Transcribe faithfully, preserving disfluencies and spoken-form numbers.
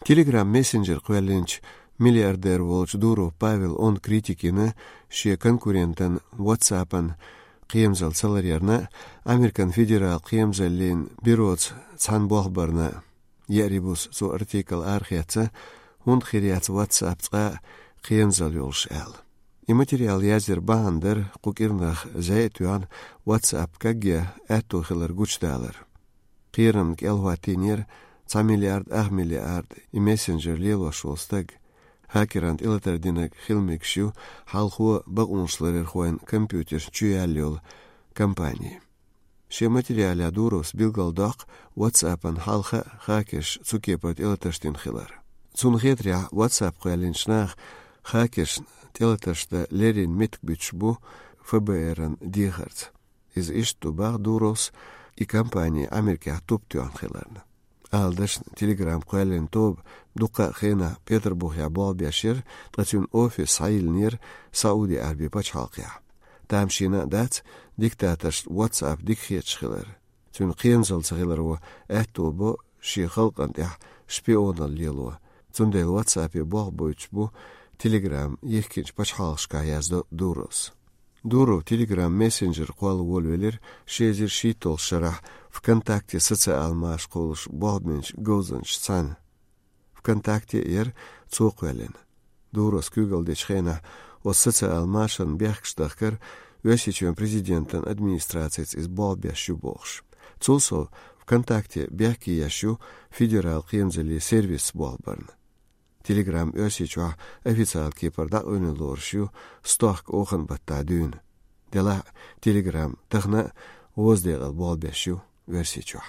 Telegram мессенджер квеллинч миллиардер волч Дуров Павел он критикини ше конкурентан WhatsApp-ан қиемзал саларьярна Американ федерал қиемзаллин бюроц цан бохбарна ярибус цу артикл архиаца хунд хириац WhatsApp ца қиемзал юлш эл. И материал язер баандер қукирнах зайтюан WhatsApp кагге әтту хилар гучталар. Қирнк элхуатинер ца миллиард ах миллиард и мессенджер лелва шолстаг хакерант илатардинаг хилмикшу халхуа багуншларер хуэн компьютер чуяллёл компании. Ше материаля Дуров билгалдақ WhatsApp-ан халха хакеш цукепат илаташтин хилар. Цунхетря WhatsApp куялиншнах хакеш телаташта лерин миткбичбу ФБР-ан дихарц. Из ишту баг Дуровс и компании Америка туптюан хиларна. Алдаш Телеграм куялин тоб дука хена Петербург бал бяшер тацюн офис саилнер Сауди Арби пачхалқия. Тамшина дац диктатор WhatsApp дикхетш хилар. Цюн қиемзал цхилар во әттобо ши халқан тях шпионал лело. Цундел WhatsApp бал бойчбу Телеграм ехкинч пачхалшка язды Дурос. Дуров Телеграм мессенджер куал волвелер шезер шитол шарах ВКонтакте социал маш қолыш богменш гозанш цан. ВКонтакте ер цоқвелен. Дурос кюгал дечхена о социал машан бяхкштахкар весичен президентан администрациц из болбящу бохш. Цулсо ВКонтакте бяхки ящу федерал қиемзели сервис болбарн. Телеграм өсичуа официал кепарда өнелоршу стох охан батта дюн. Дела Телеграм тахна воздегал болбящу версичуа.